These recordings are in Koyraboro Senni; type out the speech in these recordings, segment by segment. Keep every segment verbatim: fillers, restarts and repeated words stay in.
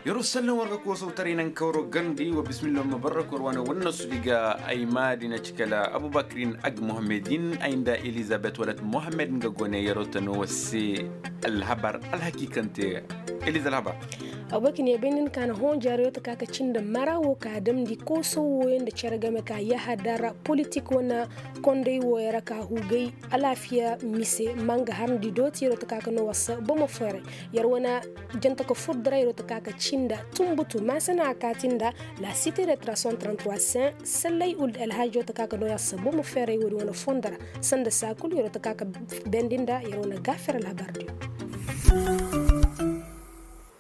Yer'o sallan war ga koosawtaray naŋ kawro garndi wa bismillah ma barra kor wane wanna sudiga ay maadi na ci kala abubakirin ag mohammedin ay nda elizabet walat mohammed nga gone yer'o tano wa se. Alhabar alhakiikante eliza alhabar. Abubakirin ya bay nda ni ka na hõ jaaro yer'o ta ka ka cindi mara wo ka damndi koosaw wooyaŋ nda cere game ka yahadar politik wane konday wooyaŋ ra ka hugay alaafiya mise ma nga harndi dooti yer'o ta ka ka noo war se bomo feeray. Yer wane janta ka fur dara yer'o ta ka ka cinda tumbutu maasana a kaati nda la site de trason trente-trois saint sallay uld alhajo ta ka ka noo yer se bomo feeray woodi wane fondo ra. Sanda saa kul yer'o ta ka ka bendi nda yer wane gaafir alhabar diyo.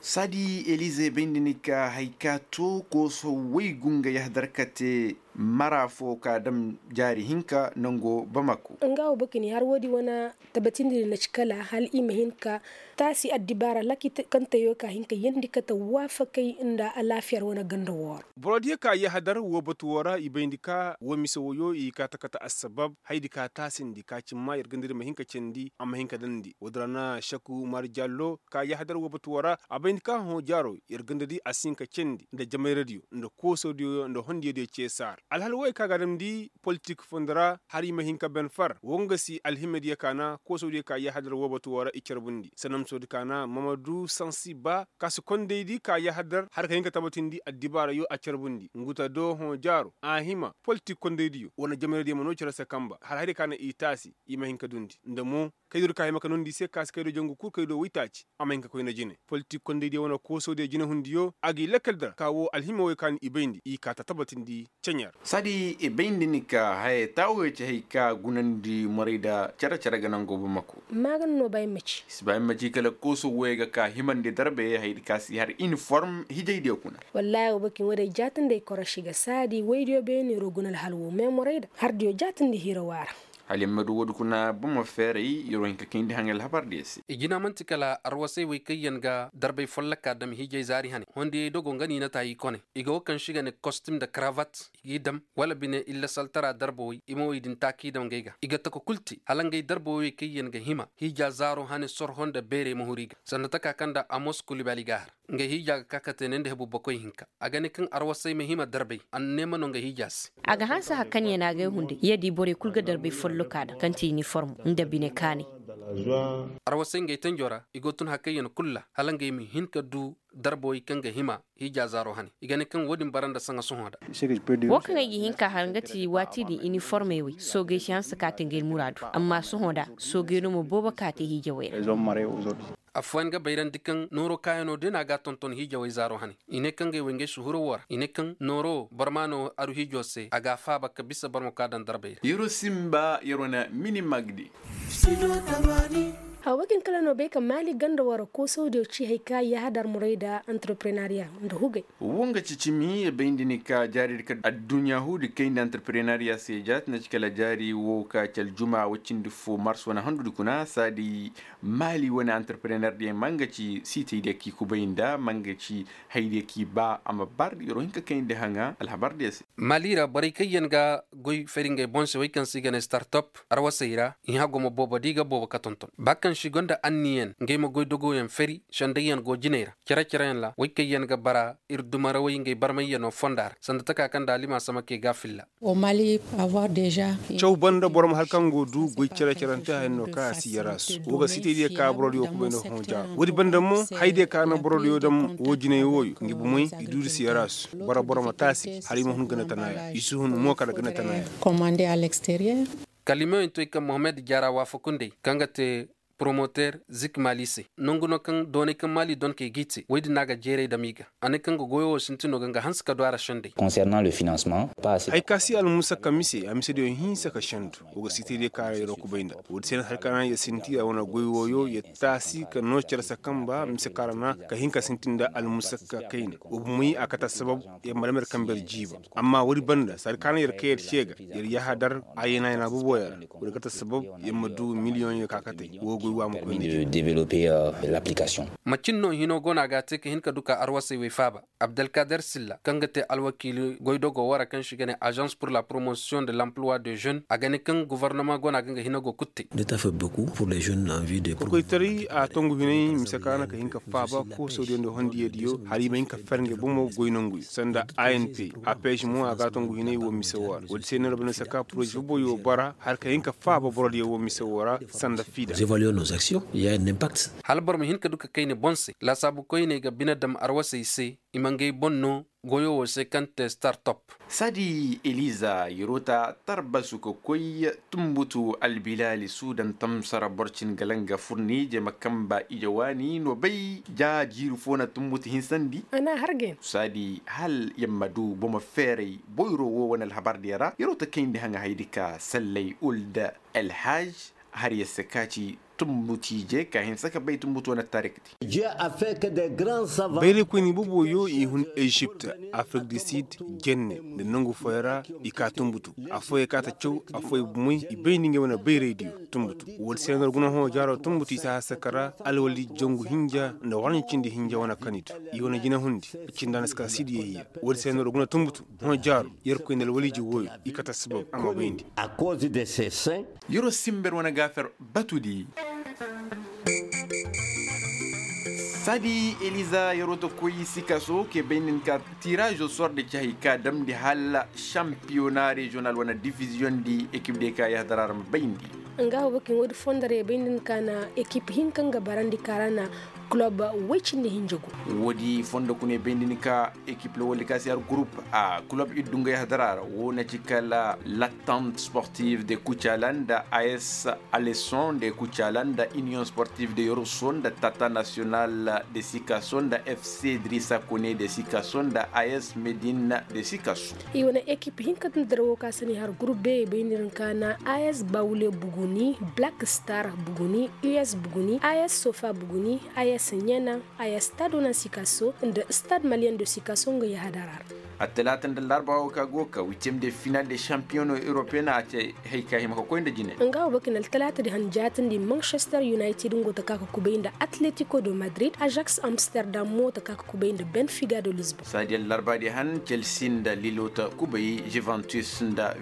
Saadi elize bayndi ni ka hay ka to kooso waygu nga yahadar ka te mara fo ka dam jaari hinka nango bamako. Nga wo bakini har woodi wane tabatindi na ci kala hal i ma hin ka taasi addibaara laki kaŋ tayo ka hin ka yandi kate waafakay nda alaafiyar wane ganda wooro. Borodiyo ka yahadar wo batu wo ra i bayndi ka wo mise woyo i ka ta kate assabab haydi ka taasindi ka cimma yer gandadi ma hin ka candi a ma hin ka dandi woodi ra na shaku umar jallo ka yahadar wo batu wo ra a bayndi ka hõ jaaro yer gandadi a si hin ka candi nda jamayradiyo nda koosodiyo nda hondiyadiyo ceesaar alhal woy ka ga damndi politik fondo ra har i ma hin ka ben far wo nga si alhimadiyo ka na koosodiyo ka yahadar wo batu wo ra i carbundi sanamsoodi ka na mamadu sansi ba ka si kondaydi ka yahadar har ka hin ka tabatindi addibaarayo a carbundi nguta do hõ jaaro a hima politik kondaydiyo wane jamayradiyo ma no cere se kamba har haydiyo ka na i taasi i ma hin ka dundi nda mo kaydo di ka hima ka nondi i se ka si kaydo jangu kul kaydo woytaaci a ma hin ka koyne jine politik kondaydiyo wane koosodiyo jinehundiyo a g'i lakkal dara ka wo alhima woy ka ni i bayndi i ka ta tabatindi ceɲar. Saadi i bayndi ni ka haya taawo ya ci hay ka gunandi morayda cere-cere ga nango bamako. Maagana no ba yammaci. I si ba yammaci kala kooso woy ga ka himandi darbe haydi ka si har iniform hijaydiyo kuna. Wallaahi wo bakin wo day jaatandi ay koroši ga saadi woydiyo beeni ro guna alhal wo me morayda hardiyo jaatandi hira waara. Hala yer ma du woodi kuna boro ma feeray yer wo hin ka kayndi haŋay alhabar diya se. I jina man'ti kala arwasay wey kaŋ yaŋ ga darbay folloka dam hiijay zaari hane hondiyey dogo nga niina taayi kone. I ga wo kaŋ se i ga ne kostim nda karavat i g'i dam wala bine illa saltara darbawey i ma wey din taak'i dam ngey ga i ga taka kul te hala ngey darbawey wey kaŋ yaŋ ga hima hiija zaaro hane sorho nda beerey ma huru i ga sanda taka kaŋ nda amos kulibali ga a har. Ngey hiija ga ka ka te ne nda hebu bakoy hinka. A ga ne kaŋ arwasay ma hima darbay a na neema no ngey hiija se. A ga hanse hari kaŋ ya na agay hunday ya di borey kul ga darbay folloka daŋ kaŋ ti iniformo nda bine kaanay. Arwasay ngey tanjo ra i go tun hari kaŋ ya na kul ra hala ngey ma hin ka du darbawey kaŋ ga hima hiija zaaro hane i ga ne kaŋ wo-din bara nda saŋa sohõ da. Wo kaŋ ay ga hin ka har nga ti waati din iniformey wey soogey si hanse ka te ngey muraadu amma sohõ da soogey no ma boobo ka te hiijawey ra. Affooyaŋ ga bayrandi kaŋ nooro kaayanoo day no a ga a tonton hiijawey zaaro hane. I ne kaŋ ngey wey ngey suhuro woo ra i ne kaŋ nooro boro ma no aru hiijo se a ga a faaba ka bisa boro ma ka daŋ darbey ra. Yer wo simba yer wane mini magdi. Hawakin kala no bay ka maali ganda woo ra koosawdiyo ci hay ka yahadar muray nda antarprenariya nda hugay. Wo nga ci cimi yer bayndi ni ka jaaridi ka adduɲɲa huudi kay nda antarprenariya se jaati na ci kala jaari wo ka ci aljuma woy cindi fo mars wane handudi kuna saadi. Maali wane antarprener diyaŋ ma nga ci siitey diyaŋ kaŋ i kubay nda ma nga ci hayadiyaŋ kaŋ i ba a ma bar yer wo hin ka kayndi haŋa alhabar diyaŋ se. Maali ra borey kaŋ yaŋ ga goy fari ngey boŋ se wey kaŋ se i ga ne startop arwasey ra i hã gumo boobo da i ga boobo ka tonton ba kaŋ se i gonda anniyaŋ ngey ma goy dogoyaŋ fari sendayyaŋ go jiney ra cere-cereyaŋ ra wey kaŋ yaŋ ga bara ir dumarawey ngey barmayyaŋo fonda ra sanda taka kaŋ nda alima samakey ga a filla. Caw banda boro ma hari kaŋ go du goy cere-cerante haya no kaŋ a si yarasu wo ga sitey diya ka borodiyo kubay nda hõ jaaro woodi banda mo hayadiyo ka na borodiyo dam wo jinay wooyo ngi bomey i duudi si yarasu boro boro ma taasi hala i ma hun gana tana ya i si hun mo kala gana tana ya. Kalimeyoŋ to i kaŋ mohammed jaara waafakundey kaŋ ga te poromoter zik maali se nangu no kaŋ doonay kaŋ maali donkey g'i te woy din no a ga jeeray dam i ga. A ne kaŋ ga goyo wo sintin no ga nga hanse ka du a ra sendey. Haya ka si almusakka mise a misediyo hinsa ka sendu. Wo ga sitediyo kaŋ ra yeroo kubay nda woodi se no hari kaŋ ra yer sinti a wane goy wooyo yer taasi ka noo cere se kamba mise kaŋ ra na ka hin ka sintin nda almusakka kayna. Wo bumey a kate assabab yer ma dam yer kambe yer jiiba. Amma woodi banda sari kaŋ ra yer kay yer ce ga yer yahadar a yana yana boboyaŋ ra. Woodi kate assabab yer ma du miliyoŋyo ka katey wo. Macin no hino go no a ga a te ka hin ka du ka arwasey wey faaba. Abdelkader silla kaŋ ga te alwakiili goydogo wara kaŋ se i ga ne agence pour la promotion de l'emploi de jeune a ga ne kaŋ govornoma go no a ga nga hina go kulu te. Kokoytaray a tongu hinay mise ka na ka hin ka faaba koosodiyo nda hondiyeediyo hala i ma hin ka fer ngey bomo goy nanguyo sanda anp. Apes mo a ga a tongu hinay wo mise wo ra wala se no ra banda saka poroze boboyo bara hala ka hin ka faaba borodiyo wo mise wo ra sanda fiida. Hala boro ma hin ka du ka kayna boŋ se laasaabu koyney ga bine dam arwasey se. I ma ngey boŋ no goyo wo se kaŋ te startup. Saadi eliza yerota tarbasu ka koy tumbutu albilaali sudan tamsara borcin galanga furni jema kamba ije waani no bay ja jiiri fo na tumbutu hinsandi. Saadi hal yamma du boma feeray boyro wo wane alhabar diya ra yerota kayndi haŋa haydi ka sallay ulda alhaj har ya se ka ci tumbutu ije ka hinsa ka bay tumbutu wane tarik di. Bayraykoyni boboyo i hun ezipt, afrik du sid, jenne nda nangu fooyaŋ ra. I ka tumbutu afooyaŋ ka ta caw afooyaŋ bumey i bay nda ngey wane bayraydiyo tumbutu. Wala se no ra guna hõ jaaro tumbutu i si a hasaka ra alwali jangu hinja nda waranji cindi hinja wane kanitu. I wane jinahundi cinda na si ka sidi yayya. Wala se no ra guna tumbutu hõ jaaro yerkoy nda alwaliji wooyo i kate assabab a ma bayndi. Yeroo simber wane gaafer batudi. Saadi eliza yeroo ta koy sikaso kee bay nin ka tiraazo sor nda ci hay ka damndi hala šampiyona reziyonal wane diviziyoŋ di ekip diyo ka yahadara ra ma bayndi. Nga wo bakin woodi fondo ra ya bay nin ka na ekip hinka nga barandi ka ra na kulob woy cindi hinja gu. Woodi fondo kuna ya bay nin ka ekip lawaldi ka si har gurup a kulob iddu nga yahadara ra wo na ci kala lattant sportive de kucala nda as aleson de kucala nda union sportive de yoroso nda tata national de sikaso nda fc drisa kone de sikaso nda as medina de sikaso. I wane ekip hinka nda dara wo ka sani har gurup be bay nin ka na as bawule buguni black star buguni us buguni as sofa buguni as nyana. Ay stade wane sikaso nda stade malien do sikaso nga yahadara ra. Attalaata nda larba wo ka go ka huitième de finale de champion européen a te hay ka hima ka koy nda jine. Nga wo bakin altalaata di han jaatindi manchester united ngo ta ka ka kubay nda atletico do madrid ajax amsterdam mo ta ka ka kubay nda benfiga do lisbon. Saadi allarba di han chelsea nda lilo ta kubay juventus nda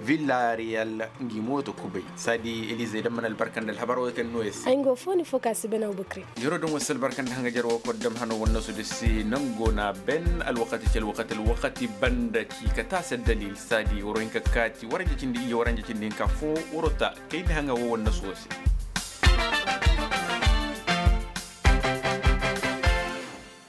villarreal. Ngi mo ta kubay saadi elize da mana albarka nda alhabar wo kaŋ no ya se. Ay ngo fo ni fo ka si bana wo bakre. Yeroo daŋ wa si albarka nda haŋajer wo kor dam hano wannasu da si nango na ben alwakati ci alwakati alwakati banda ci ka taasi addalil saadi waro hinka kaati waranja cindi ije waranja cindi hinka fo waro ta kayndi haŋa wo wannasu wo se.